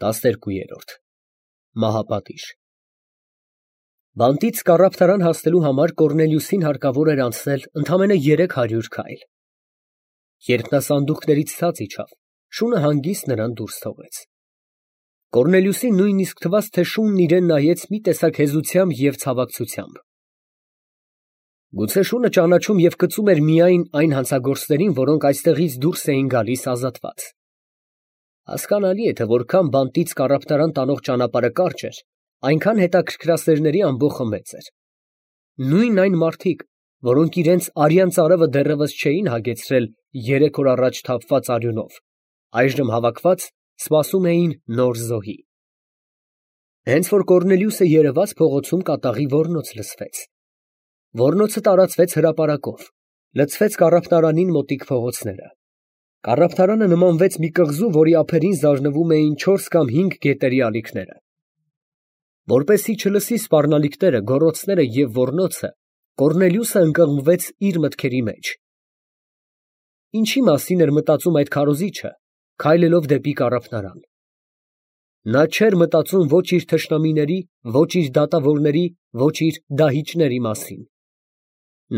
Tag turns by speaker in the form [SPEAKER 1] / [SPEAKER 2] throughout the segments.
[SPEAKER 1] 12-րդ Մահապատիժ Բանտից կառավարան հասնելու համար Կոռնելիուսին հարկավոր էր անցնել ընդամենը 300 քայլ։ Երբ նա սանդուղքներից ցած իջավ, շունը հանգիստ նրան դուրս թողեց։ Կոռնելիուսին նույնիսկ թվաց, թե շունն իրան նայեց մի տեսակ հեզությամբ և ցավակցությամբ։ Գուցե շունը ճանաչում և կծում էր միայն այն հանցագործներին, որոնք այստեղից դուրս էին գալիս ազատված։ Հասկանալի է, թե որքան բանտից կառավարան տանող ճանապարհը կարճ էր, այնքան հետաքրքրասերների ամբոխը մեծ էր։ Նույն այն մարդիկ, որոնք իրենց արյան ծարավը դեռևս չէին հագեցրել 3 օր առաջ թափված արյունով, այժմ հավաքված սպասում էին նոր զոհի։ Հենց որ Կոռնելիուսը երևաց, փողոցում կատաղի ոռնոց լսվեց։ Ոռնոցը տարածվեց հրապարակով, լցվեց կառավարանին մոտիկ փողոցները։ Կառավարանը նմանվեց մի կղզու, որի ափերին զարնվում էին 4 կամ 5 գետերի ալիքները։ Որպեսզի չլսի սպառնալիքները, գոռոցները և ոռնոցը, Կոռնելիուսը ընկղմվեց իր մտքերի մեջ։ Ինչի մասին էր մտածում այդ քարոզիչը, քայլելով դեպի կառավարան։ Նա չէր մտածում ոչ իր թշնամիների, ոչ իր դատավորների, ոչ իր դահիճների մասին։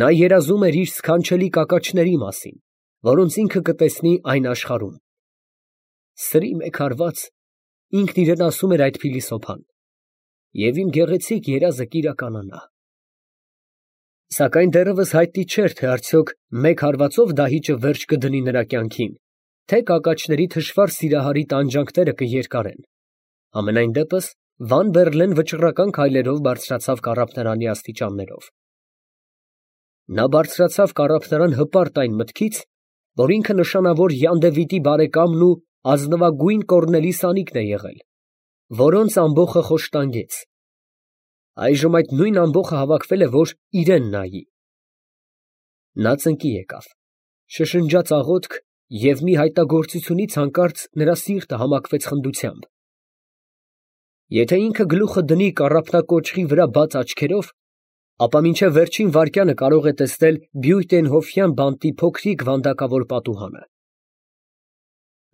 [SPEAKER 1] Նա երազում էր իր սքանչելի կակաչների մասին, որոնց ինքը կտեսնի այն աշխարհում։ Սրի մեկ հարված, ինքն իրեն ասում էր այդ փիլիսոփան, և իմ գեղեցիկ երազը կիրականանա։ Սակայն դեռևս հայտնի չէր, թե արդյոք մեկ հարվածով դահիճը վերջ կդնի նրա կյանքին, թե կակաչների թշվառ սիրահարի տանջանքները կերկարեն։ Համենայն դեպս Վան Բերլեն վճռական քայլերով բարձրացավ կառավարանի աստիճաններով։ Նա բարձրացավ կառավարան հպարտ այն մտքից, որ ինքը նշանավոր Յան բարեկամն ու ազնվագույն Կոռնելի Սանիկն է եղել, որոնց ամբոխը խոշտանգեց։ Այժմ այդ նույն ամբոխը հավաքվել է, որ իրան նայի։ Նա ծնկի եկավ, շշնջաց աղոթք, և մի հայտագործությունից հանկարծ նրա սիրտը համակվեց խնդությամբ։ Եթե ինքը գլուխը դնի կառափնակոճղի վրա բաց աչքերով, ապա մինչև վերջին վայրկյանը կարող է տեսնել Բյուйтենհոֆյան բանտի փոքրիկ վանդակավոր պատուհանը։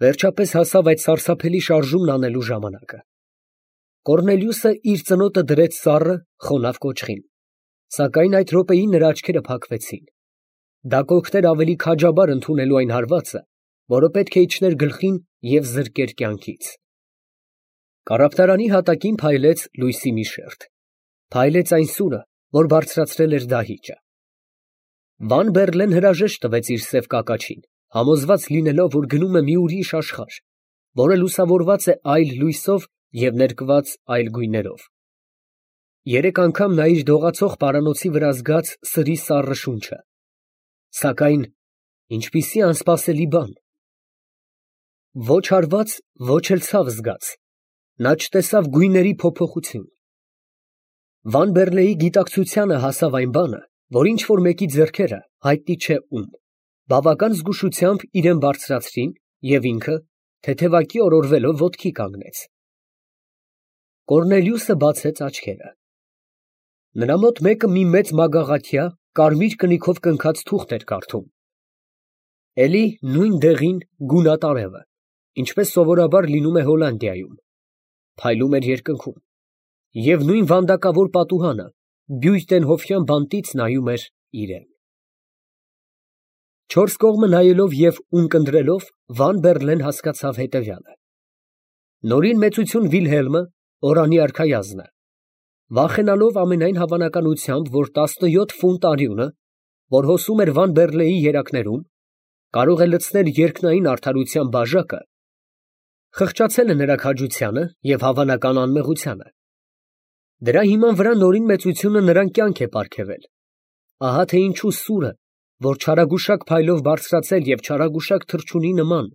[SPEAKER 1] Վերջապես հասավ այդ սարսափելի շարժումն անելու ժամանակը։ Կոռնելիուսը իր ծնոտը դրեց սառը, խոնավ կոճղին, սակայն այդ րոպեին նրա աչքերը փակվեցին։ Դա կօգներ ավելի քաջաբար ընդունելու այն հարվածը, որը պետք է իջներ գլխին և զրկեր կյանքից։ Կառավարանի հատակին փայլեց լույսի մի շերջ, փայլեց այն սուրը, որ բարձրացրել էր դահիճը։ Վան Բերլեն հրաժեշտ տվեց իր սև կակաչին, համոզված լինելով, որ գնում է մի ուրիշ աշխարհ, որը լուսավորված է այլ լույսով և ներկված այլ գույներով։ 3 անգամ նա իր դողացող պարանոցի վրա զգաց սրի սառը շունչը։ Սակայն ինչպիսի անսպասելի բան։ Ոչ հարված, ոչ էլ ցավ զգաց։ Նա չտեսավ գույների փոփոխություն։ Վան Բերլեի գիտակցությանը հասավ այն բանը, որ ինչ֊որ մեկի ձեռքերը, հայտնի չէ ում, բավական զգուշությամբ իրան բարձրացրին, և ինքը, թեթևակի օրորվելով, ոտքի կանգնեց։ Կոռնելիուսը բացեց աչքերը։ Նրա մոտ մեկը մի մեծ մագաղաթյա, կարմիր կնիքով կնքած թուղթ էր կարդում։ Էլի նույն դեղին, գունատ արևը, ինչպես սովորաբար լինում է Հոլանդիայում, փայլում էր երկնքում, և նույն վանդակավոր պատուհանը Բյուйтենհոֆյան բանտից նայում էր իրան։ Չորս կողմը նայելով և ունկնդրելով, Վան Բերլեն հասկացավ հետևյալը. նորին մեծություն Վիլհելմը, Օրանի արքայազնը, վախենալով ամենայն հավանականությամբ, որ 17 ֆունտ արյունը, որ հոսում էր Վան Բերլեի երակներում, կարող է լցնել երկնային արդարության բաժակը, խղճացել է նրա քաջությանը և հավանական անմեղությանը։ Դրա հիման վրա նորին մեծությունը նրան կյանք է պարգևել։ Ահա թե ինչու սուրը, որ չարագուշակ փայլով բարձրացել և չարագուշակ թռչունի նման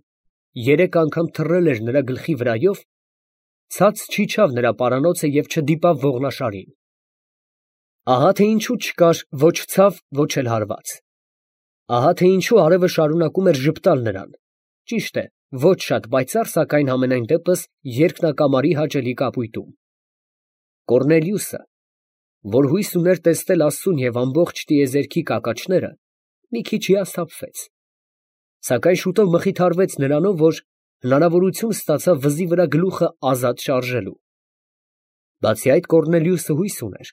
[SPEAKER 1] 3 անգամ թռել էր նրա գլխի վրայով, ցած չիջավ նրա պարանոցը և չդիպավ ողնաշարին։ Ահա թե ինչու չկար ոչ ցավ, ոչ էլ հարված։ Ահա թե ինչու արևը շարունակում էր ժպտալ նրան, ճիշտ է, ոչ շատ պայծառ, սակայն համենայն դեպս երկնակամարի հաճելի կապույտում։ Կոռնելիուսը, որ հույս ուներ տեսնել աստծուն և ամբողջ տիեզերքի կակաչները, մի քիչ հիասթափվեց, սակայն շուտով մխիթարվեց նրանով, որ հնարավորություն ստացավ վզի վրա գլուխը ազատ շարժելու։ Բացի այդ Կոռնելիուսը հույս ուներ,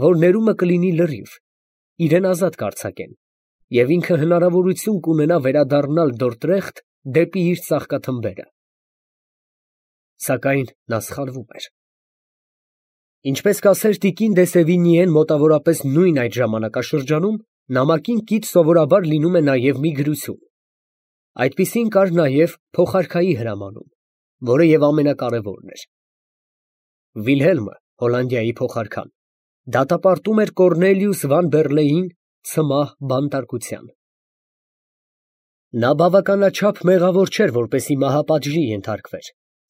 [SPEAKER 1] որ ներումը կլինի լրիվ, իրեն ազատ կարձակեն, և ինքը հնարավորություն կունենա վերադառնալ Դորդրեխտ դեպի իր ծաղկաթմբերը։ Սակայն նա սխալվում էր։ Ինչպես կասեր տիկին դե Սևինիեն մոտավորապես նույն այդ ժամանակաշրջանում, նամակին կից սովորաբար լինում է նաև մի գրություն։ Այդպիսին կար նաև փոխարքայի հրամանում, որը և ամենակարևորն էր։ Վիլհելմը, Հոլանդիայի փոխարքան, դատապարտում էր Կոռնելիուս Վան Բերլեին ցմահ բանտարկության։ Նա բավականաչափ մեղավոր չէր, որպեսզի մահապատժի ենթարկվեր,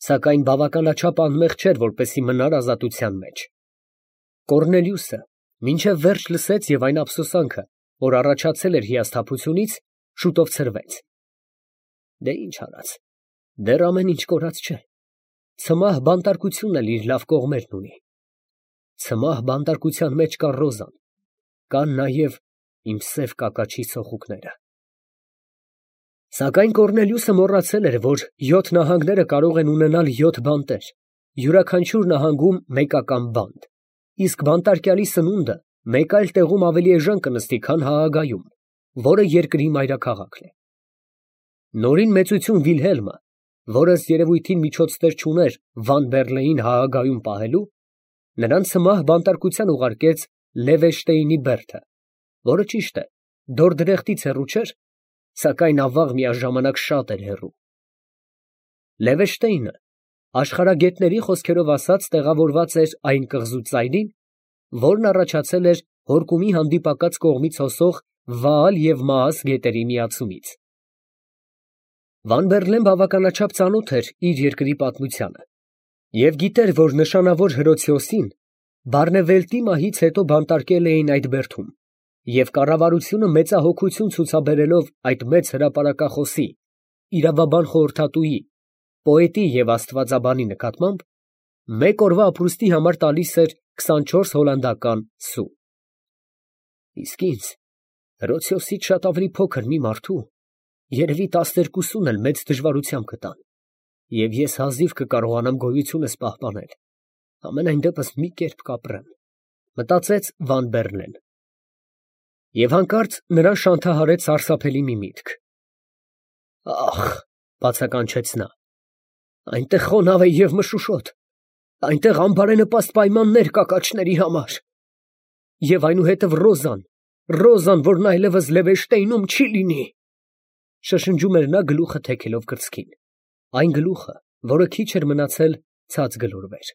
[SPEAKER 1] սակայն բավականաչափ անմեղ չէր, որպեսզի մնար ազատության մեջ։ Կոռնելիուսը մինչև վերջ լսեց և այն ափսոսանքը, որ առաջացել էր հիասթափությունից, շուտով ցրվեց։ Դե ինչ արած, դեռ ամեն ինչ կորած չէ։ Ցմահ բանտարկությունն էլ իր լավ կողմերն ունի։ Ցմահ բանտարկության մեջ կա Ռոզան, կան նաև իմ սև կակաչի ցոխուկները։ Սակայն Կոռնելիուսը մոռացել էր, որ 7 նահանգները կարող են ունենալ 7 բանտեր, յուրաքանչյուր նահանգում մեկական բանտ, իսկ բանտարկյալի սնունդը մեկ այլ տեղում ավելի էժան կնստի, քան Հաագայում, որը երկրի մայրաքաղաքն է։ Նորին մեծություն Վիլհելմը, որը ըստ երևույթին միջոցներ չուներ Վան Բերլեին Հաագայում պահելու, նրան ցմահ բանտարկության ուղարկեց Լևեշտեյնի բերդը, որը ճիշտ է, Դորդրեխտից հեռու չէր, սակայն ավաղ միաժամանակ շատ էր հեռու։ Լևեշտեյնը, աշխարհագետների խոսքերով ասած, տեղավորված էր այն կղզու ծայրին, որն առաջացել էր Հորկումի հանդիպակաց կողմից հոսող Վաալ և Մաաս գետերի միացումից։ Վան Բերլեն բավականաչափ ծանոթ էր իր երկրի պատմությանը և գիտեր, որ նշանավոր Հրոցիոսին Բարնևելտի մահից հետո բանտարկել էին այդ բերդում, և կառավարությունը մեծահոգություն ցուցաբերելով այդ մեծ հրապարակախոսի, իրավաբան խորհրդատուի, պոետի և աստվածաբանի նկատմամբ, մեկ օրվա ապրուստի համար տալիս էր 24 հոլանդական սու։ Իսկ ինձ, Հրոցիոսից շատ ավելի փոքր մի մարդու, երևի 12-ն էլ մեծ դժվարությամբ կտան, և ես հազիվ կկարողանամ գոյությունս պահպանել, համենայն դեպս մի կերպ կապրեմ, մտածեց Վան Բերլեն։ Եվ հանկարծ նրան շանթահարեց սարսափելի մի միտք։ Ախ, բացականչեց նա, այնտեղ խոնավ է և մշուշոտ, այնտեղ անբարենպաստ պայմաններ կակաչների համար։ Եվ այնուհետև Ռոզան, որն այլևս Լևեշտեյնում չի լինի, շշնջում էր նա գլուխը թեքելով կրծքին, այն գլուխը, որը քիչ էր մնացել ցած գլորվեր։